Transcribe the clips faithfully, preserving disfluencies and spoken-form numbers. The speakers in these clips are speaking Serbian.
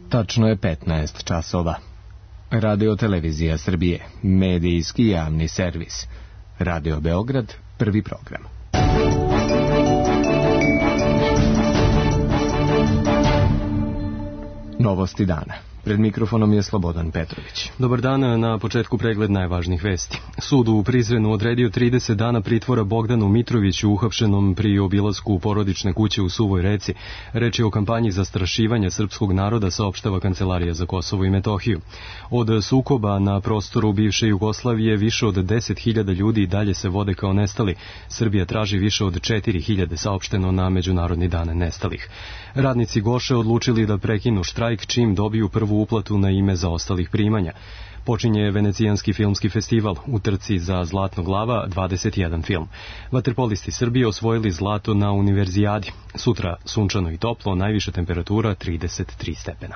Tačno je petnaest časova. Radio Televizija Srbije, medijski javni servis. Radio Beograd, prvi program. Novosti dana. Pred mikrofonom je Slobodan Petrović. Dobar dan, na početku pregled najvažnijih vesti. Sud u Prizrenu odredio trideset dana pritvora Bogdanu Mitroviću, uhapšenom pri obilasku porodične kuće u Suvoj Reci. Reč je o kampanji zastrašivanja srpskog naroda, saopštava Kancelarija za Kosovo i Metohiju. Od sukoba na prostoru bivše Jugoslavije više od deset hiljada ljudi dalje se vode kao nestali. Srbija traži više od četiri hiljade, saopšteno na Međunarodni dan nestalih. Radnici Goše odlučili da prekinu štrajk čim dobiju prvu uplatu na ime zaostalih primanja. Počinje Venecijanski filmski festival, u trci za Zlatnog lava dvadeset jedan film. Vaterpolisti Srbije osvojili zlato na Univerzijadi. Sutra sunčano i toplo, najviša temperatura trideset tri stepena.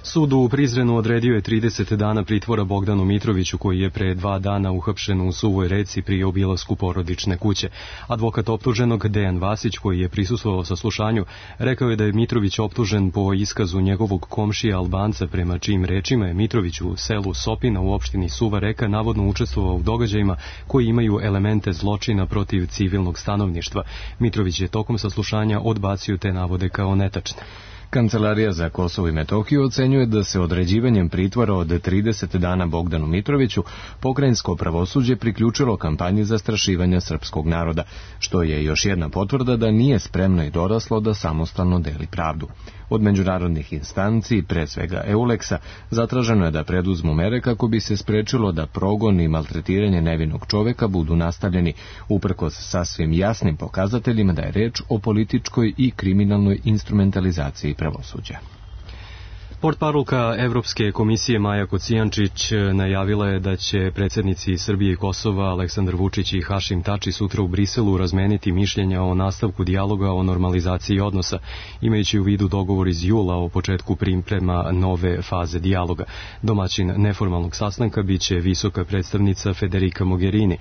Sud u Prizrenu odredio je trideset dana pritvora Bogdanu Mitroviću, koji je pre dva dana uhapšen u Suvoj Reci pri obilasku porodične kuće. Advokat optuženog Dejan Vasić, koji je prisustvovao saslušanju, rekao je da je Mitrović optužen po iskazu njegovog komšija Albanca, prema čijim rečima je Mitrović u selu Sopina u opštini Suva Reka navodno učestvovao u događajima koji imaju elemente zločina protiv civilnog stanovništva. Mitrović je tokom saslušanja odbacio te navode kao netačne. Kancelarija za Kosovo i Metohiju ocenjuje da se određivanjem pritvora od trideset dana Bogdanu Mitroviću pokrajinsko pravosuđe priključilo kampanji zastrašivanja srpskog naroda, što je još jedna potvrda da nije spremno i doraslo da samostalno deli pravdu. Od međunarodnih instanci, pre svega Euleksa, zatraženo je da preduzmu mere kako bi se sprečilo da progon i maltretiranje nevinog čoveka budu nastavljeni, uprkos sasvim jasnim pokazateljima da je reč o političkoj i kriminalnoj instrumentalizaciji pravosuđa. Portparolka Evropske komisije Maja Kocijančić najavila je da će predsjednici Srbije i Kosova Aleksandar Vučić i Hašim Tači sutra u Briselu razmeniti mišljenja o nastavku dijaloga o normalizaciji odnosa, imajući u vidu dogovor iz jula o početku priprema nove faze dijaloga. Domaćin neformalnog sastanka biće visoka predstavnica Federica Mogherini.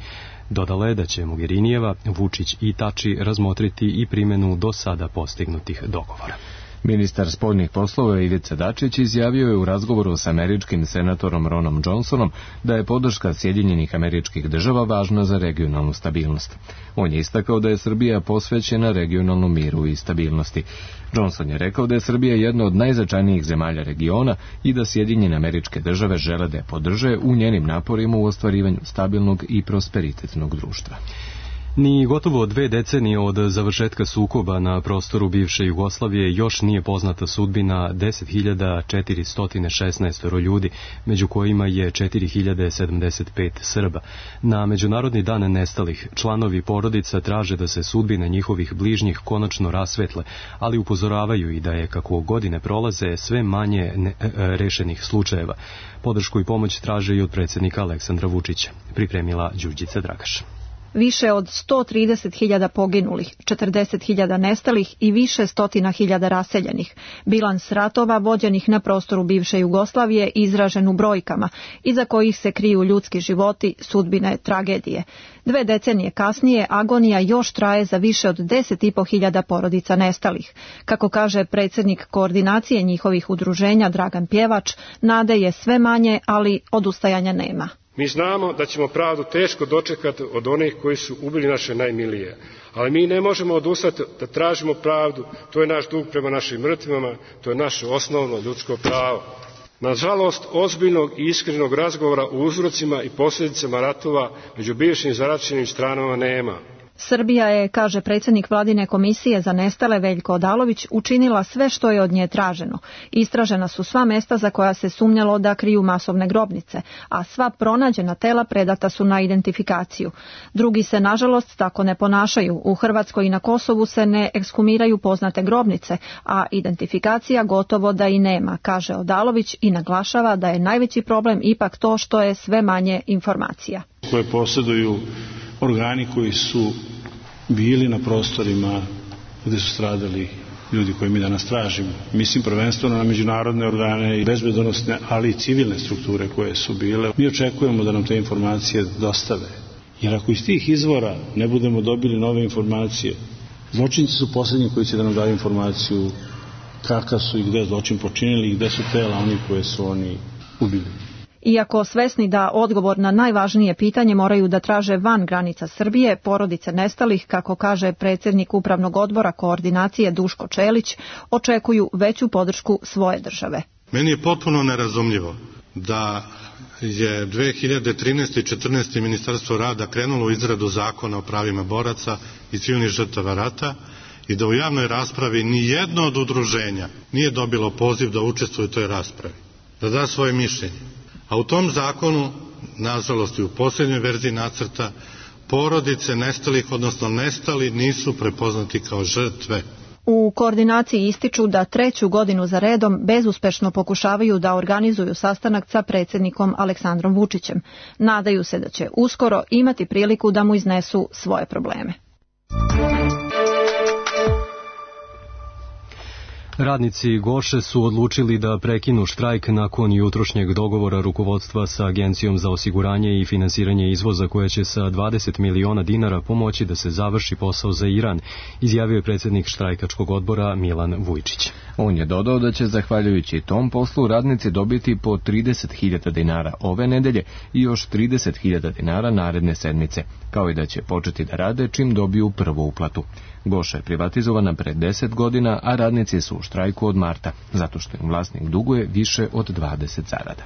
Dodala je da će Mogherinijeva, Vučić i Tači razmotriti i primjenu do sada postignutih dogovora. Ministar spoljnih poslova Ivica Dačić izjavio je u razgovoru s američkim senatorom Ronom Johnsonom da je podrška Sjedinjenih Američkih Država važna za regionalnu stabilnost. On je istakao da je Srbija posvećena regionalnom miru i stabilnosti. Johnson je rekao da je Srbija jedna od najznačajnijih zemalja regiona i da Sjedinjene Američke Države žele da je podrže u njenim naporima u ostvarivanju stabilnog i prosperitetnog društva. Ni gotovo dve decenije od završetka sukoba na prostoru bivše Jugoslavije još nije poznata sudbina deset hiljada četiristo šesnaest ljudi, među kojima je četiri hiljade sedamdeset pet Srba. Na Međunarodni dan nestalih članovi porodica traže da se sudbine njihovih bližnjih konačno rasvetle, ali upozoravaju i da je, kako godine prolaze, sve manje ne, e, rešenih slučajeva. Podršku i pomoć traže i od predsjednika Aleksandra Vučića, pripremila Đurđica Dragaš. Više od sto trideset hiljada poginulih, četrdeset hiljada nestalih i više stotina hiljada raseljenih. Bilans ratova vođenih na prostoru bivše Jugoslavije izražen u brojkama, iza kojih se kriju ljudski životi, sudbine, tragedije. Dve decenije kasnije agonija još traje za više od deset i po hiljada porodica nestalih. Kako kaže predsjednik koordinacije njihovih udruženja Dragan Pjevač, nade je sve manje, ali odustajanja nema. Mi znamo da ćemo pravdu teško dočekati od onih koji su ubili naše najmilije, ali mi ne možemo odustati da tražimo pravdu, to je naš dug prema našim mrtvima, to je naše osnovno ljudsko pravo. Nažalost, ozbiljnog i iskrenog razgovora o uzrocima i posljedicama ratova među bivšim zaraćenim stranama nema. Srbija je, kaže predsjednik Vladine komisije za nestale Veljko Odalović, učinila sve što je od nje traženo. Istražena su sva mesta za koja se sumnjalo da kriju masovne grobnice, a sva pronađena tela predata su na identifikaciju. Drugi se, nažalost, tako ne ponašaju. U Hrvatskoj i na Kosovu se ne ekshumiraju poznate grobnice, a identifikacija gotovo da i nema, kaže Odalović i naglašava da je najveći problem ipak to što je sve manje informacija. Koje posjeduju organi koji su bili na prostorima gdje su stradali ljudi koji mi danas tražimo. Mislim prvenstveno na međunarodne organe i bezbednosne, ali i civilne strukture koje su bile. Mi očekujemo da nam te informacije dostave. Jer ako iz tih izvora ne budemo dobili nove informacije, Zločinci su posljednji koji će da nam daju informaciju kakav su i gde zločin počinili i gde su tela oni koje su oni ubili. Iako svesni da odgovor na najvažnije pitanje moraju da traže van granica Srbije, porodice nestalih, kako kaže predsjednik Upravnog odbora koordinacije Duško Čelić, očekuju veću podršku svoje države. Meni je potpuno nerazumljivo da je dve hiljade trinaeste i četrnaeste. Ministarstvo rada krenulo u izradu zakona o pravima boraca i civilnih žrtava rata i da u javnoj raspravi ni jedno od udruženja nije dobilo poziv da učestvuje u toj raspravi, da da svoje mišljenje. A u tom zakonu, nažalost i u posljednjoj verziji nacrta, porodice nestalih, odnosno nestali, nisu prepoznati kao žrtve. U koordinaciji ističu da treću godinu za redom bezuspešno pokušavaju da organizuju sastanak sa predsjednikom Aleksandrom Vučićem. Nadaju se da će uskoro imati priliku da mu iznesu svoje probleme. Radnici Goše su odlučili da prekinu štrajk nakon jutrošnjeg dogovora rukovodstva sa Agencijom za osiguranje i finansiranje izvoza koja će sa dvadeset miliona dinara pomoći da se završi posao za Iran, izjavio je predsjednik štrajkačkog odbora Milan Vujčić. On je dodao da će zahvaljujući tom poslu radnici dobiti po trideset hiljada dinara ove nedelje i još trideset hiljada dinara naredne sedmice, kao i da će početi da rade čim dobiju prvu uplatu. Goša je privatizovana pre deset godina, a radnici su u štrajku od marta, zato što im vlasnik duguje više od dvadeset zarada.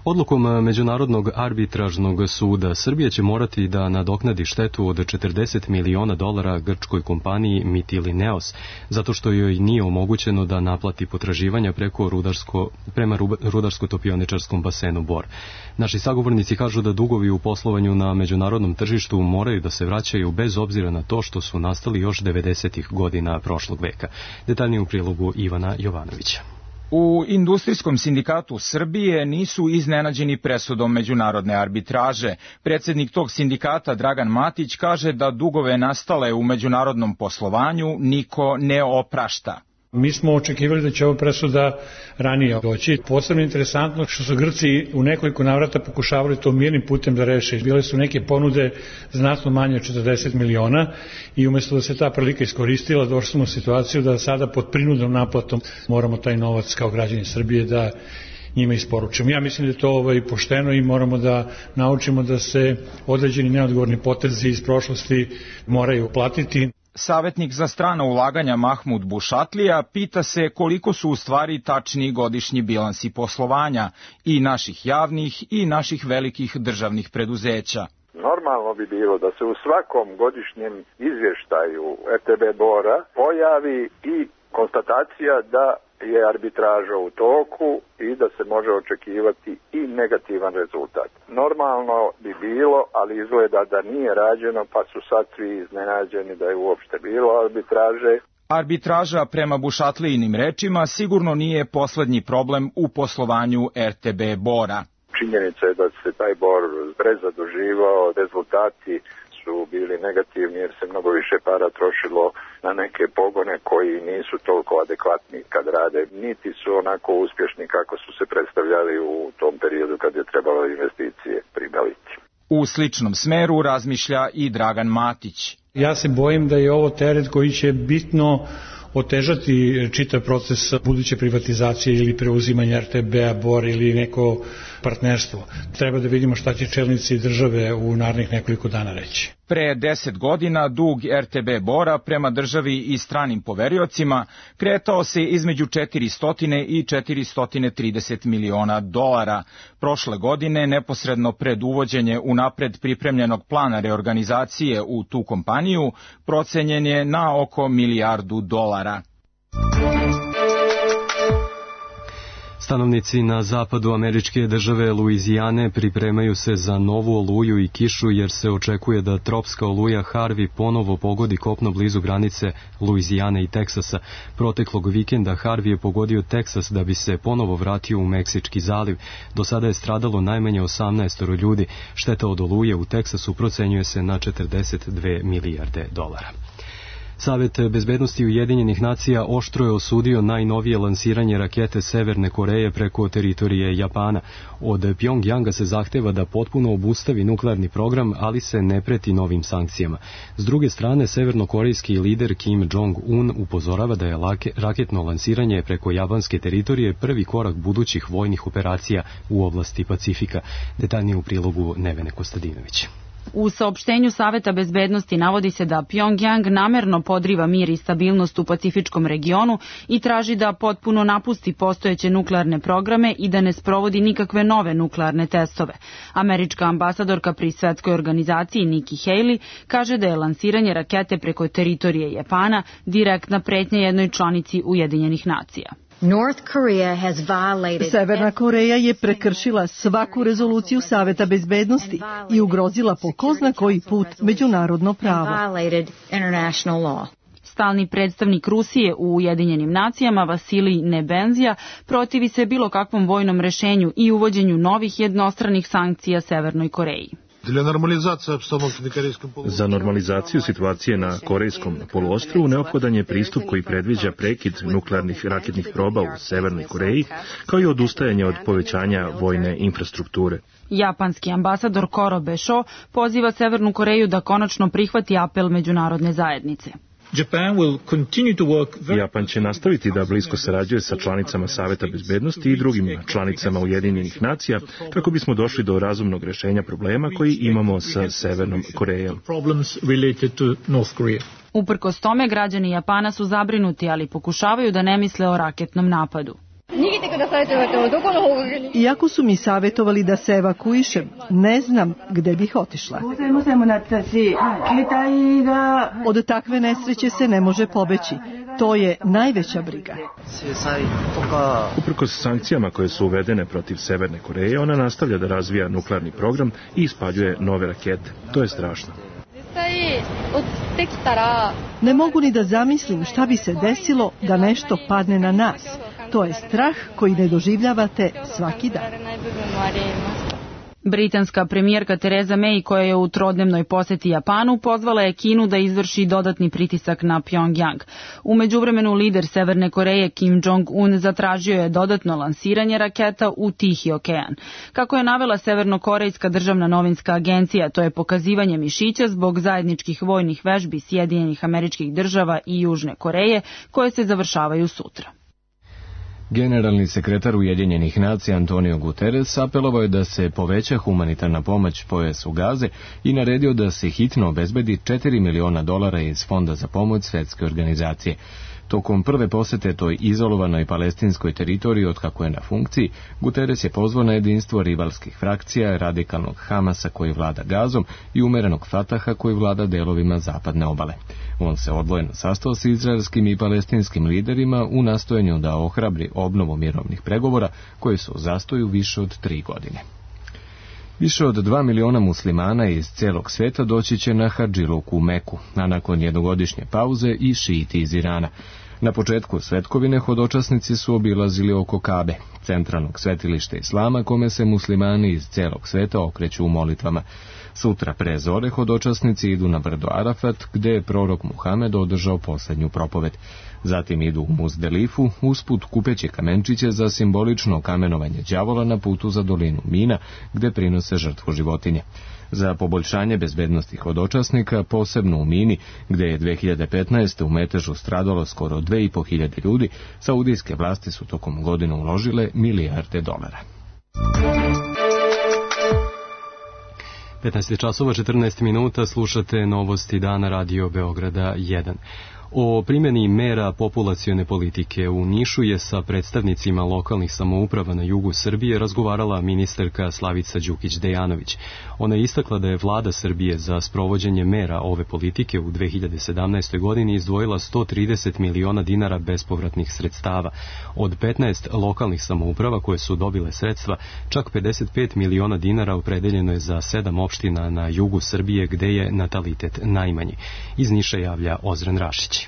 Odlukom Međunarodnog arbitražnog suda Srbija će morati da nadoknadi štetu od četrdeset miliona dolara grčkoj kompaniji Mytilineos, zato što joj nije omogućeno da naplati potraživanja preko rudarsko, prema rudarsko-topioničarskom basenu Bor. Naši sagovornici kažu da dugovi u poslovanju na međunarodnom tržištu moraju da se vraćaju bez obzira na to što su nastali još devedesetih godina prošlog veka. Detaljnije u prilogu Ivana Jovanovića. U Industrijskom sindikatu Srbije nisu iznenađeni presudom međunarodne arbitraže. Predsjednik tog sindikata Dragan Matić kaže da dugove nastale u međunarodnom poslovanju niko ne oprašta. Mi smo očekivali da će ova presuda ranije doći. Posebno interesantno što su Grci u nekoliko navrata pokušavali to mirnim putem da reše. Bile su neke ponude znatno manje od četrdeset miliona i umjesto da se ta prilika iskoristila, došli smo u situaciju da sada pod prinudnom naplatom moramo taj novac kao građani Srbije da njima isporučimo. Ja mislim da je to ovaj, pošteno i moramo da naučimo da se određeni neodgovorni potezi iz prošlosti moraju platiti. Savjetnik za strana ulaganja Mahmud Bušatlija pita se koliko su u stvari tačni godišnji bilansi poslovanja i naših javnih i naših velikih državnih preduzeća. Normalno bi bilo da se u svakom godišnjem izvještaju R T B Bora pojavi i konstatacija da je arbitraža u toku i da se može očekivati i negativan rezultat. Normalno bi bilo, ali izgleda da nije rađeno, pa su sad svi iznenađeni da je uopšte bilo arbitraže. Arbitraža, prema Bušatlijinim rečima, sigurno nije poslednji problem u poslovanju R T B Bora. Činjenica je da se taj Bor prezaduživao, rezultati su bili negativni jer se mnogo više para trošilo na neke pogone koji nisu toliko adekvatni kad rade, niti su onako uspješni kako su se predstavljali u tom periodu kad je trebalo investicije pribaviti. U sličnom smeru razmišlja i Dragan Matić. Ja se bojim da je ovo teret koji će bitno otežati čitav proces buduće privatizacije ili preuzimanja R T B-a, Bor ili neko partnerstvo. Treba da vidimo šta će čelnici države u narednih nekoliko dana reći. Pre deset godina dug R T B Bora prema državi i stranim poveriocima kretao se između četiristo i četiristo trideset miliona dolara. Prošle godine, neposredno pred uvođenje unapred pripremljenog plana reorganizacije u tu kompaniju, procenjen je na oko milijardu dolara. Stanovnici na zapadu američke države Luizijane pripremaju se za novu oluju i kišu jer se očekuje da tropska oluja Harvey ponovo pogodi kopno blizu granice Luizijane i Teksasa. Proteklog vikenda Harvey je pogodio Teksas da bi se ponovo vratio u Meksički zaliv. Do sada je stradalo najmanje osamnaest ljudi. Šteta od oluje u Teksasu procenjuje se na četrdeset dve milijarde dolara. Savet bezbednosti Ujedinjenih nacija oštro je osudio najnovije lansiranje rakete Severne Koreje preko teritorije Japana. Od Pjongjanga se zahteva da potpuno obustavi nuklearni program, ali se ne preti novim sankcijama. S druge strane, severnokorejski lider Kim Jong-un upozorava da je raketno lansiranje preko japanske teritorije prvi korak budućih vojnih operacija u oblasti Pacifika. Detaljnije u prilogu Nevene Kostadinović. U saopštenju Saveta bezbednosti navodi se da Pjongjang namerno podriva mir i stabilnost u Pacifičkom regionu i traži da potpuno napusti postojeće nuklearne programe i da ne sprovodi nikakve nove nuklearne testove. Američka ambasadorka pri svetskoj organizaciji Nikki Haley kaže da je lansiranje rakete preko teritorije Japana direktna pretnja jednoj članici Ujedinjenih nacija. Severna Koreja je prekršila svaku rezoluciju Saveta bezbednosti i ugrozila po ko zna koji put međunarodno pravo. Stalni predstavnik Rusije u Ujedinjenim nacijama Vasilij Nebenzija protivi se bilo kakvom vojnom rešenju i uvođenju novih jednostranih sankcija Severnoj Koreji. Za normalizaciju situacije na Korejskom poluostrvu neophodan je pristup koji predviđa prekid nuklearnih raketnih proba u Severnoj Koreji, kao i odustajanje od povećanja vojne infrastrukture. Japanski ambasador Koro Bešo poziva Severnu Koreju da konačno prihvati apel međunarodne zajednice. Japan će nastaviti da blisko sarađuje sa članicama Saveta bezbednosti i drugim članicama Ujedinjenih nacija kako bismo došli do razumnog rešenja problema koji imamo sa Severnom Korejom. Uprkos tome, građani Japana su zabrinuti, ali pokušavaju da ne misle o raketnom napadu. Iako su mi savjetovali da se evakuišem, ne znam gde bih otišla. Od takve nesreće se ne može pobeći. To je najveća briga. Uprkos sankcijama koje su uvedene protiv Severne Koreje, ona nastavlja da razvija nuklearni program i ispaljuje nove rakete. To je strašno. Ne mogu ni da zamislim šta bi se desilo da nešto padne na nas. To je strah koji ne doživljavate svaki dan. Britanska premijerka Theresa May, koja je u trodnevnoj poseti Japanu, pozvala je Kinu da izvrši dodatni pritisak na Pjongjang. U međuvremenu lider Severne Koreje Kim Jong-un zatražio je dodatno lansiranje raketa u Tihi okean. Kako je navela Severnokorejska državna novinska agencija, to je pokazivanje mišića zbog zajedničkih vojnih vežbi Sjedinjenih Američkih Država i Južne Koreje, koje se završavaju sutra. Generalni sekretar Ujedinjenih nacija Antonio Guterres apelovao je da se poveća humanitarna pomoć pojasu Gaze i naredio da se hitno obezbedi četiri miliona dolara iz Fonda za pomoć Svjetske organizacije. Tokom prve posete toj izolovanoj palestinskoj teritoriji od kako je na funkciji, Guterres je pozvao na jedinstvo rivalskih frakcija, radikalnog Hamasa koji vlada Gazom i umerenog Fataha koji vlada delovima zapadne obale. On se odvojeno sastao s izraelskim i palestinskim liderima u nastojanju da ohrabri obnovu mirovnih pregovora koji su u zastoju više od tri godine. Više od dva miliona muslimana iz cijelog svijeta doći će na Hadžiluk u Meku, a nakon jednogodišnje pauze i šiiti iz Irana. Na početku svetkovine hodočasnici su obilazili oko Kabe, centralnog svetilišta islama kome se muslimani iz cijelog sveta okreću u molitvama. Sutra pre zore hodočasnici idu na brdo Arafat, gde je prorok Muhamed održao posljednju propoved. Zatim idu u Muzdelifu, usput kupeći kamenčiće za simbolično kamenovanje đavola na putu za dolinu Mina, gde prinose žrtvu životinje. Za poboljšanje bezbednosti hodočasnika, posebno u Mini, gde je dve hiljade petnaeste. u metežu stradalo skoro dve i po hiljade ljudi, saudijske vlasti su tokom godine uložile milijarde dolara. petnaest časova četrnaest minuta, slušate novosti dana Radio Beograda jedan. O primjeni mera populacione politike u Nišu je sa predstavnicima lokalnih samouprava na jugu Srbije razgovarala ministarka Slavica Đukić-Dejanović. Ona je istakla da je vlada Srbije za sprovođenje mera ove politike u dve hiljade sedamnaestoj. godini izdvojila sto trideset miliona dinara bespovratnih sredstava. Od petnaest lokalnih samouprava koje su dobile sredstva, čak pedeset pet miliona dinara opredeljeno je za sedam opština na jugu Srbije gde je natalitet najmanji. Iz Niša javlja Ozren Rašić.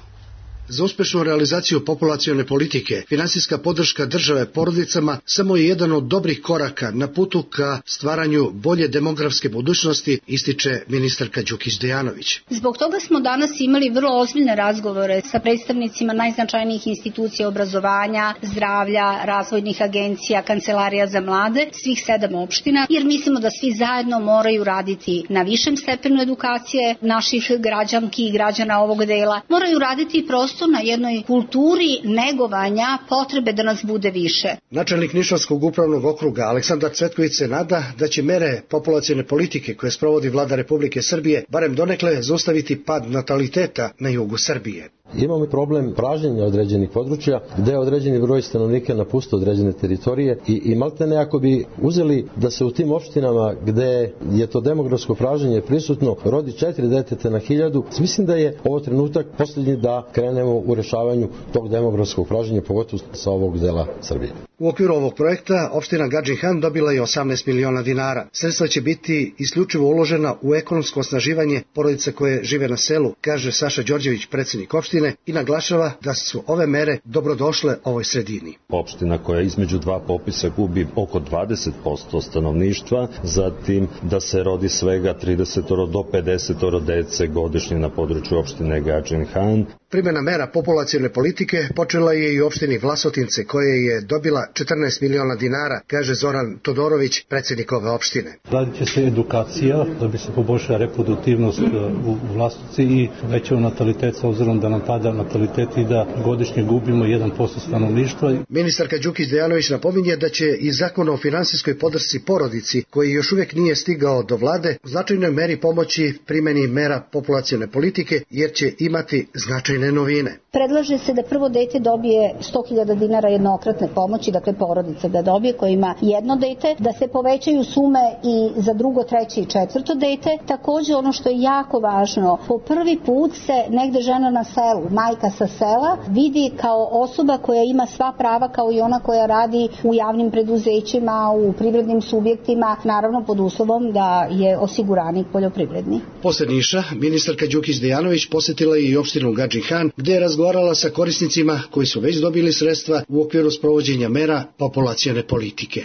Za uspešnu realizaciju populacione politike, finansijska podrška države porodicama samo je jedan od dobrih koraka na putu ka stvaranju bolje demografske budućnosti, ističe ministarka Đukić Dejanović. Zbog toga smo danas imali vrlo ozbiljne razgovore sa predstavnicima najznačajnijih institucija obrazovanja, zdravlja, razvojnih agencija, kancelarija za mlade, svih sedam opština, jer mislimo da svi zajedno moraju raditi na višem stepenu edukacije naših građanki i građana ovog dela. Moraju raditi prosto na jednoj kulturi negovanja potrebe da nas bude više. Načelnik Nišavskog upravnog okruga Aleksandar Cvetković se nada da će mere populacione politike koje sprovodi vlada Republike Srbije barem donekle zaustaviti pad nataliteta na jugu Srbije. Imamo i problem pražnjenja određenih područja gde određeni broj stanovnika napušta određene teritorije i, i maltene ako bi uzeli da se u tim opštinama gde je to demografsko pražnjenje prisutno rodi četiri deteta na hiljadu, mislim da je ovo trenutak posljednji da krenemo u rešavanju tog demografskog pražnjenja, pogotovo sa ovog dela Srbije. U okviru ovog projekta opština Gadžin Han dobila je osamnaest miliona dinara. Sredstva će biti isključivo uložena u ekonomsko osnaživanje porodica koje žive na selu, kaže Saša Đorđević, predsjednik opštine, i naglašava da su ove mere dobrodošle ovoj sredini. Opština koja između dva popisa gubi oko dvadeset posto stanovništva, zatim da se rodi svega trideset do pedeset dece godišnje na području opštine Gadžin Han. Primjena mera populacione politike počela je i u opštini Vlasotince, koja je dobila četrnaest miliona dinara, kaže Zoran Todorović, predsjednik ove opštine. Radit će se edukacija da bi se poboljšala reproduktivnost u Vlasotinci i većao natalitet, s obzirom da nam pada natalitet i da godišnje gubimo jedan posto stanovništva. Ministarka Đukić Dejanović napominje da će i zakon o finansijskoj podršci porodici, koji još uvijek nije stigao do vlade, u značajnoj meri pomoći primjeni mera populacione politike, jer će imati značajne novine. Predlaže se da prvo dete dobije sto hiljada dinara jednokratne pomoći, dakle porodica da dobije koja ima jedno dete, da se povećaju sume i za drugo, treće i četvrto dete. Takođe ono što je jako važno, po prvi put se negde žena na selu, majka sa sela, vidi kao osoba koja ima sva prava kao i ona koja radi u javnim preduzećima, u privrednim subjektima, naravno pod uslovom da je osiguranik poljoprivredni. Posle Niša, ministarka Đukić Dejanović posjetila je i opštinu Gadžin Han, gde je razgovarala sa korisnicima koji su već dobili sredstva u okviru sprovođenja mera populacione politike.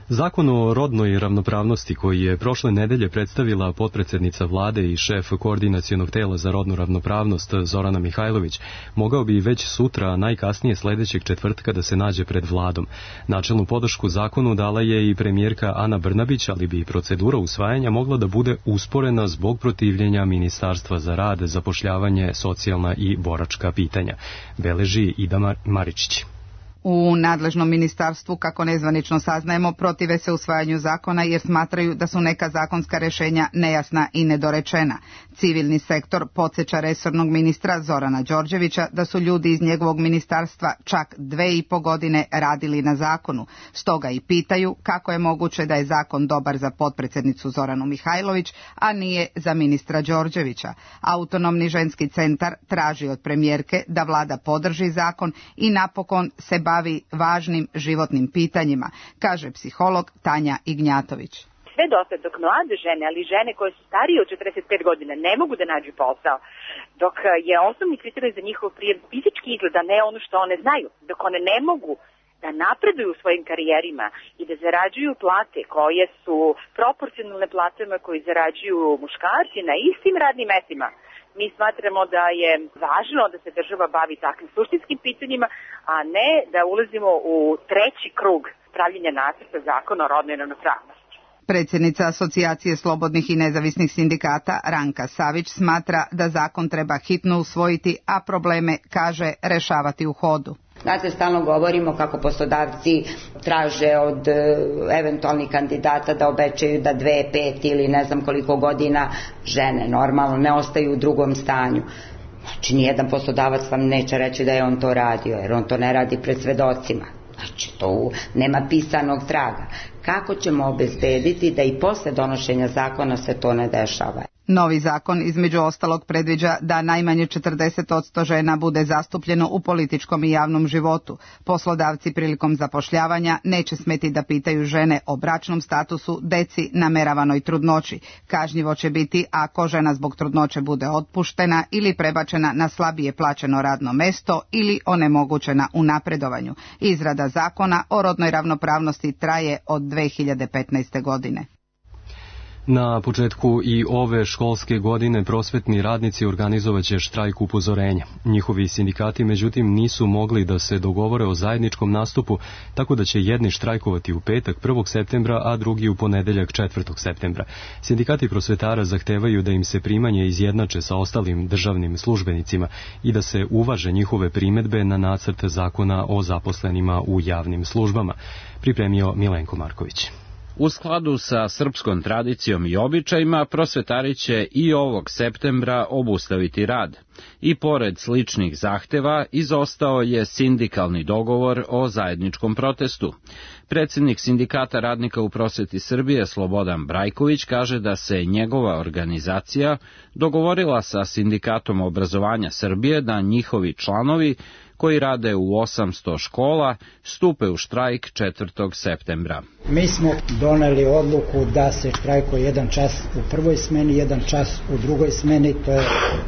Zakon o rodnoj ravnopravnosti koji je prošle nedelje predstavila potpredsednica vlade i šef koordinacionog tela za rodnu ravnopravnost Zorana Mihajlović mogao bi već sutra, najkasnije sledećeg četvrtka, da se nađe pred vladom. Načelnu podršku zakonu dala je i premijerka Ana Brnabić, ali bi procedura usvajanja mogla da bude usporena zbog protivljenja Ministarstva za rad, zapošljavanje, socijalna i boračka pitanja. Beleži Ida Maričić. U nadležnom ministarstvu, kako nezvanično saznajemo, protive se usvajanju zakona jer smatraju da su neka zakonska rešenja nejasna i nedorečena. Civilni sektor podsjeća resornog ministra Zorana Đorđevića da su ljudi iz njegovog ministarstva čak dve i po godine radili na zakonu. Stoga i pitaju kako je moguće da je zakon dobar za potpredsednicu Zoranu Mihajlović, a nije za ministra Đorđevića. Autonomni ženski centar traži od premijerke da vlada podrži zakon i napokon se bavi važnim životnim pitanjima, kaže psiholog Tanja Ignjatović. Sve dosta dok mlade žene, ali žene koje su starije od četrdeset pet godina ne mogu da nađu posao, dok je osnovni kriterij za njihov prijem fizički izgleda, ne ono što one znaju, dok one ne mogu da napreduju u svojim karijerima i da zarađuju plate koje su proporcionalne platama koji zarađuju muškarci na istim radnim mestima, mi smatramo da je važno da se država bavi takvim suštinskim pitanjima, a ne da ulazimo u treći krug pravljenja nacrta zakona o rodnoj ravnopravnosti. Predsjednica Asocijacije slobodnih i nezavisnih sindikata Ranka Savić smatra da zakon treba hitno usvojiti, a probleme, kaže, rešavati u hodu. Znate, stalno govorimo kako poslodavci traže od e, eventualnih kandidata da obećaju da dve, pet ili ne znam koliko godina žene normalno ne ostaju u drugom stanju. Znači, nijedan poslodavac vam neće reći da je on to radio, jer on to ne radi pred svedocima. Znači, to nema pisanog traga. Kako ćemo obezbediti da i posle donošenja zakona se to ne dešava? Novi zakon između ostalog predviđa da najmanje četrdeset posto žena bude zastupljeno u političkom i javnom životu. Poslodavci prilikom zapošljavanja neće smeti da pitaju žene o bračnom statusu, deci, nameravanoj trudnoći. Kažnjivo će biti ako žena zbog trudnoće bude otpuštena ili prebačena na slabije plaćeno radno mesto ili onemogućena u napredovanju. Izrada zakona o rodnoj ravnopravnosti traje od dve hiljade petnaeste. godine. Na početku i ove školske godine prosvetni radnici organizovaće štrajk upozorenja. Njihovi sindikati međutim nisu mogli da se dogovore o zajedničkom nastupu, tako da će jedni štrajkovati u petak prvog septembra, a drugi u ponedeljak četvrtog septembra. Sindikati prosvetara zahtevaju da im se primanje izjednače sa ostalim državnim službenicima i da se uvaže njihove primedbe na nacrt zakona o zaposlenima u javnim službama. Pripremio Milenko Marković. U skladu sa srpskom tradicijom i običajima, prosvetari će i ovog septembra obustaviti rad. I pored sličnih zahteva, izostao je sindikalni dogovor o zajedničkom protestu. Predsjednik Sindikata radnika u prosveti Srbije, Slobodan Brajković, kaže da se njegova organizacija dogovorila sa Sindikatom obrazovanja Srbije da njihovi članovi koji rade u osamsto škola, stupe u štrajk četvrtog septembra. Mi smo doneli odluku da se štrajkuje jedan čas u prvoj smeni, jedan čas u drugoj smeni, to je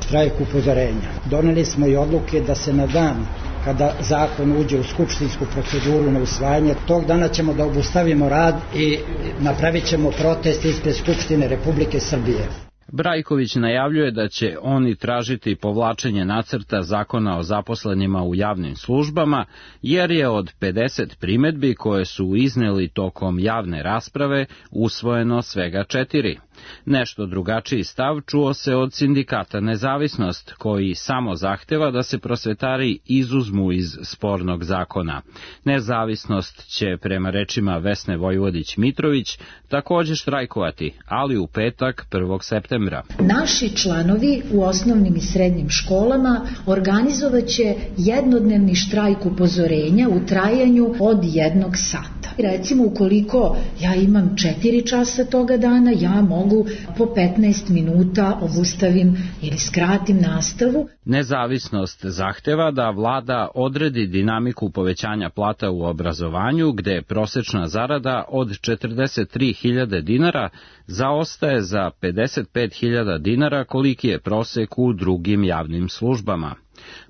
štrajk upozorenja. Doneli smo i odluke da se na dan kada zakon uđe u skupštinsku proceduru na usvajanje, tog dana ćemo da obustavimo rad i napravit ćemo protest ispred Skupštine Republike Srbije. Brajković najavljuje da će oni tražiti povlačenje nacrta zakona o zaposlenima u javnim službama, jer je od pedeset primedbi koje su izneli tokom javne rasprave usvojeno svega četiri. Nešto drugačiji stav čuo se od Sindikata Nezavisnost, koji samo zahteva da se prosvetari izuzmu iz spornog zakona. Nezavisnost će, prema rečima Vesne Vojvodić-Mitrović, također štrajkovati, ali u petak prvog septembra. Naši članovi u osnovnim i srednjim školama organizovaće jednodnevni štrajk upozorenja u trajanju od jednog sata. Recimo, ukoliko ja imam četiri časa toga dana, ja mogu po petnaest minuta obustavim ili skratim nastavu. Nezavisnost zahteva da vlada odredi dinamiku povećanja plata u obrazovanju, gde prosečna zarada od četrdeset tri hiljade dinara zaostaje za pedeset pet hiljada dinara, koliki je prosek u drugim javnim službama.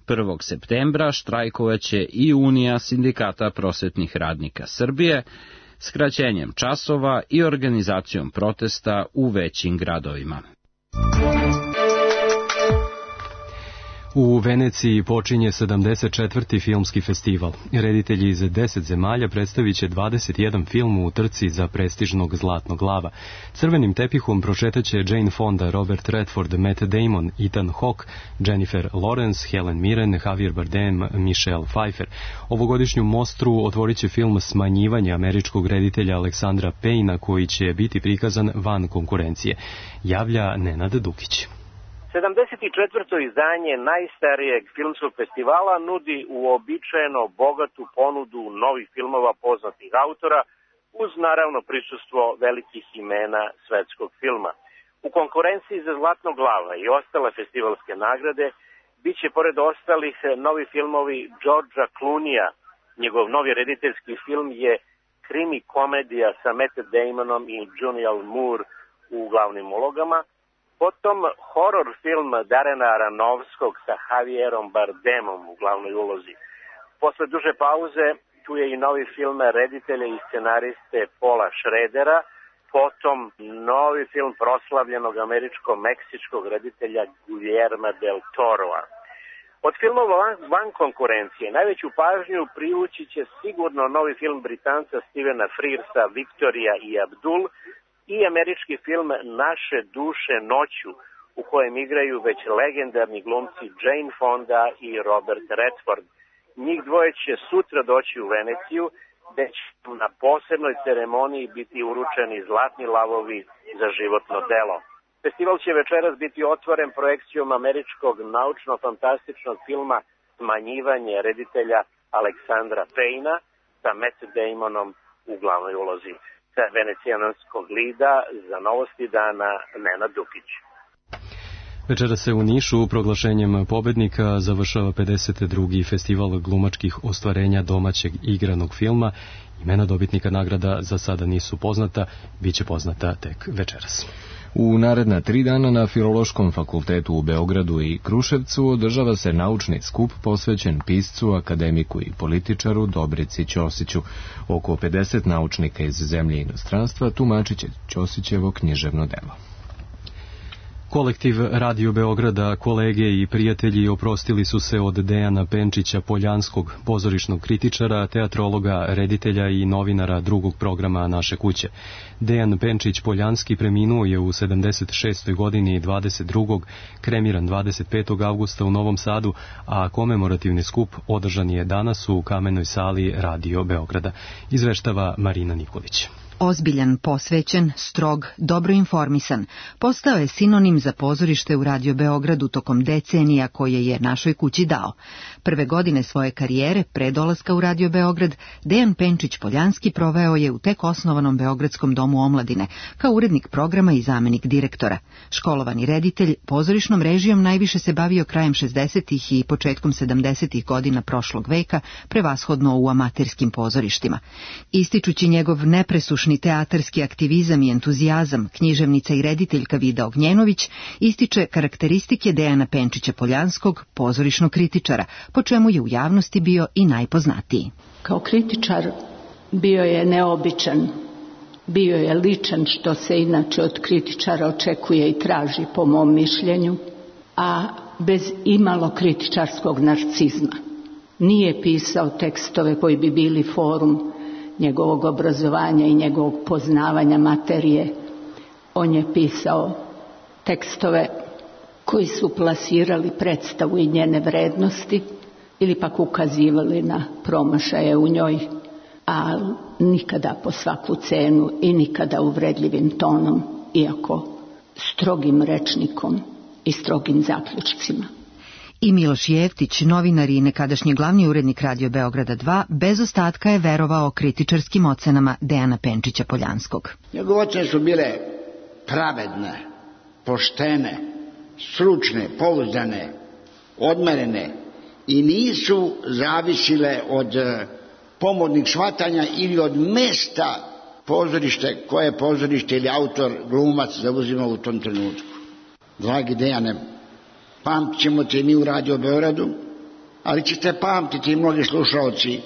prvog septembra štrajkovaće i Unija Sindikata prosvetnih radnika Srbije, skraćenjem časova i organizacijom protesta u većim gradovima. U Veneciji počinje sedamdeset četvrti filmski festival. Reditelji iz deset zemalja predstavit će dvadeset jedan film u trci za prestižnog Zlatnog lava. Crvenim tepihom prošetaće Jane Fonda, Robert Redford, Matt Damon, Ethan Hawke, Jennifer Lawrence, Helen Mirren, Javier Bardem, Michelle Pfeiffer. Ovogodišnju mostru otvorit će film Smanjivanje američkog reditelja Aleksandra Payna, koji će biti prikazan van konkurencije. Javlja Nenad Dukić. sedamdeset četvrto izdanje najstarijeg filmskog festivala nudi uobičajeno bogatu ponudu novih filmova poznatih autora, uz naravno prisustvo velikih imena svetskog filma. U konkurenciji za Zlatnog lava i ostale festivalske nagrade bit će pored ostalih novi filmovi Georgea Clooneyja. Njegov novi rediteljski film je krimi komedija sa Matt Damonom i Julianne Moore u glavnim ulogama. Potom horor film Darena Aronofskog sa Javierom Bardemom u glavnoj ulozi. Posle duže pauze tu je i novi film reditelja i scenariste Paula Schradera, potom novi film proslavljenog američko-meksičkog reditelja Guillerma del Toroa. Od filmova van konkurencije najveću pažnju privući će sigurno novi film Britanca Stevena Frearsa Victoria i Abdul, i američki film Naše duše noću, u kojem igraju već legendarni glumci Jane Fonda i Robert Redford. Njih dvoje će sutra doći u Veneciju, gde će na posebnoj ceremoniji biti uručeni Zlatni lavovi za životno delo. Festival će večeras biti otvoren projekcijom američkog naučno-fantastičnog filma Smanjivanje reditelja Aleksandra Payna sa Matt Damonom u glavnoj ulozi. Sa venecijanskog lida za Novosti dana Nenad Dukić. Večera se u Nišu proglašenjem pobednika završava pedeset drugi festival glumačkih ostvarenja domaćeg igranog filma. Imena dobitnika nagrada za sada nisu poznata, bit će poznata tek večeras. U naredna tri dana na Filološkom fakultetu u Beogradu i Kruševcu održava se naučni skup posvećen piscu, akademiku i političaru Dobrici Ćosiću. Oko pedeset naučnika iz zemlje i inostranstva tumačit će Ćosićevo književno delo. Kolektiv Radio Beograda, kolege i prijatelji oprostili su se od Dejana Penčića Poljanskog, pozorišnog kritičara, teatrologa, reditelja i novinara drugog programa Naše kuće. Dejan Penčić Poljanski preminuo je u sedamdeset šestoj godini dvadeset drugog kremiran dvadeset petog avgusta u Novom Sadu, a komemorativni skup održan je danas u Kamenoj sali Radio Beograda. Izveštava Marina Nikolić. Ozbiljan, posvećen, strog, dobro informisan, postao je sinonim za pozorište u Radio Beogradu tokom decenija koje je Našoj kući dao. Prve godine svoje karijere, pre dolaska u Radio Beograd, Dejan Penčić Poljanski proveo je u tek osnovanom Beogradskom domu omladine, kao urednik programa i zamenik direktora. Školovani reditelj, pozorišnom režijom najviše se bavio krajem šezdesetih i početkom sedamdesetih godina prošlog veka, prevashodno u amaterskim pozorištima. Ističući njegov nepresušni teatarski aktivizam i entuzijazam, književnica i rediteljka Vida Ognjenović ističe karakteristike Dejana Penčića Poljanskog, pozorišnog kritičara, po čemu je u javnosti bio i najpoznatiji. Kao kritičar bio je neobičan, bio je ličan, što se inače od kritičara očekuje i traži po mom mišljenju, a bez imalo kritičarskog narcizma. Nije pisao tekstove koji bi bili forum njegovog obrazovanja i njegovog poznavanja materije. On je pisao tekstove koji su plasirali predstavu i njene vrednosti ili pak ukazivali na promašaje u njoj, a nikada po svaku cenu i nikada uvredljivim tonom, iako strogim rečnikom i strogim zaključcima. I Miloš Jeftić, novinar i nekadašnji glavni urednik Radio Beograda dva, bez ostatka je verovao kritičarskim ocenama Dejana Penčića Poljanskog. Njegove ocene su bile pravedne, poštene, stručne, pouzdane, odmerene i nisu zavisile od pomodnih shvatanja ili od mesta pozorište, koje pozorište ili autor, glumac zauzima u tom trenutku. Dragi Dejane, pamtit ćemo te mi u Radio Beogradu, ali ćete pamtiti i mnogi slušalci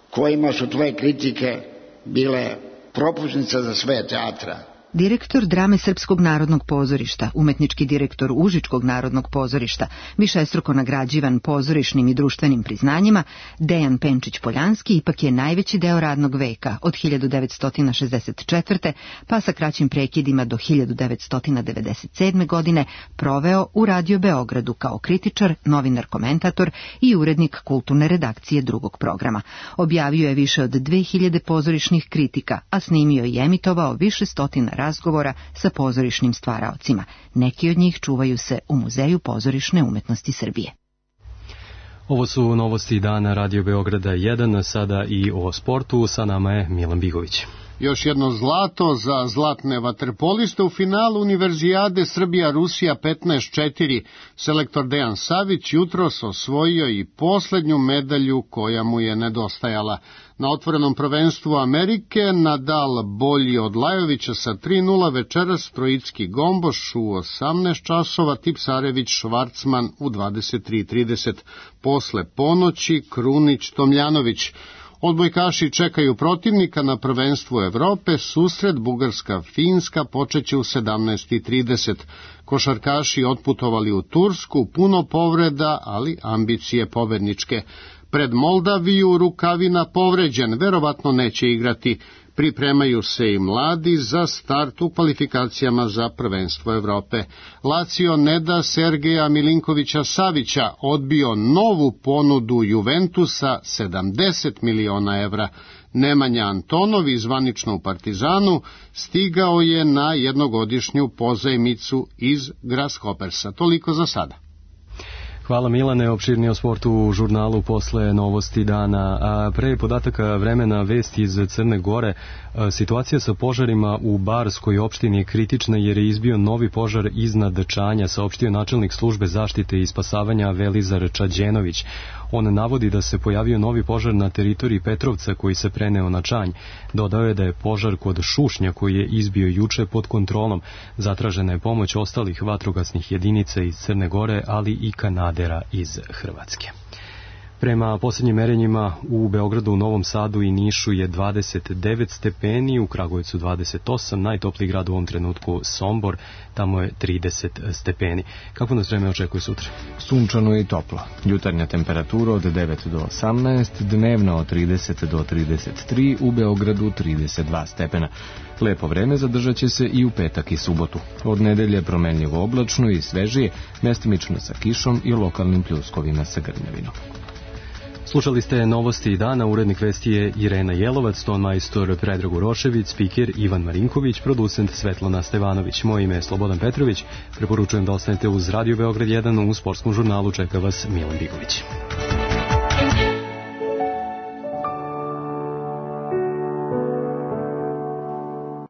kojima su tvoje kritike bile propusnica za sve teatra. Direktor drame Srpskog narodnog pozorišta, umetnički direktor Užičkog narodnog pozorišta, višestruko nagrađivan pozorišnim i društvenim priznanjima, Dejan Penčić Poljanski ipak je najveći deo radnog veka od hiljadu devetsto šezdeset četvrte pa sa kraćim prekidima do hiljadu devetsto devedeset sedme godine proveo u Radio Beogradu kao kritičar, novinar, komentator i urednik kulturne redakcije drugog programa. Objavio je više od dve hiljade pozorišnih kritika, a snimio i emitovao više stotina razgovora sa pozorišnim stvaraocima. Neki od njih čuvaju se u Muzeju pozorišne umetnosti Srbije. Ovo su novosti dana Radio Beograda jedan, sada i o sportu. Sa nama je Milan Bigović. Još jedno zlato za zlatne vaterpoliste u finalu Univerzijade Srbija-Rusija petnaest četiri. Selektor Dejan Savić jutros osvojio i poslednju medalju koja mu je nedostajala. Na otvorenom prvenstvu Amerike Nadal bolji od Lajovića sa tri nula, večeras Trojicki Gomboš u osamnaest časova, Tipsarević Švarcman u dvadeset tri trideset. Posle ponoći Krunić Tomljanović. Odbojkaši čekaju protivnika na prvenstvu Evrope, susret Bugarska-Finska počeće u sedamnaest trideset. Košarkaši otputovali u Tursku, puno povreda, ali ambicije pobedničke. Pred Moldaviju Rukavina povređen, verovatno neće igrati. Pripremaju se i mladi za start u kvalifikacijama za prvenstvo Evrope. Lazio ne da Sergeja Milinkovića Savića, odbio novu ponudu Juventusa sedamdeset miliona evra. Nemanja Antonov, zvanično u Partizanu, stigao je na jednogodišnju pozajmicu iz Grasshoppersa. Toliko za sada. Hvala Milane, opširnije o sportu u žurnalu posle novosti dana. A pre podataka vremena vesti iz Crne Gore, situacija sa požarima u Barskoj opštini je kritična jer je izbio novi požar iznad Čanja, saopštio načelnik službe zaštite i spasavanja Velizar Čađenović. On navodi da se pojavio novi požar na teritoriji Petrovca koji se preneo na Čanj. Dodao je da je požar kod Šušnja koji je izbio juče pod kontrolom. Zatražena je pomoć ostalih vatrogasnih jedinica iz Crne Gore, ali i kanadera iz Hrvatske. Prema posljednjim merenjima u Beogradu, u Novom Sadu i Nišu je dvadeset devet stepeni, u Kragujevcu dvadeset osam, najtopliji grad u ovom trenutku Sombor, tamo je trideset stepeni. Kako nas vreme očekuje sutra? Sunčano i toplo. Jutarnja temperatura od devet do osamnaest, dnevna od trideset do trideset tri, u Beogradu trideset dva stepena. Lepo vreme zadržat će se i u petak i subotu. Od nedelje promenljivo oblačno i svežije, mestimično sa kišom i lokalnim pljuskovima sa grmljavinom. Slušali ste novosti dana, urednik vesti je Irena Jelovac, ton majstor Predrag Urošević, spiker Ivan Marinković, producent Svetlana Stevanović. Moje ime je Slobodan Petrović, preporučujem da ostanete uz Radio Beograd jedan, u sportskom žurnalu čeka vas Milan Bigović.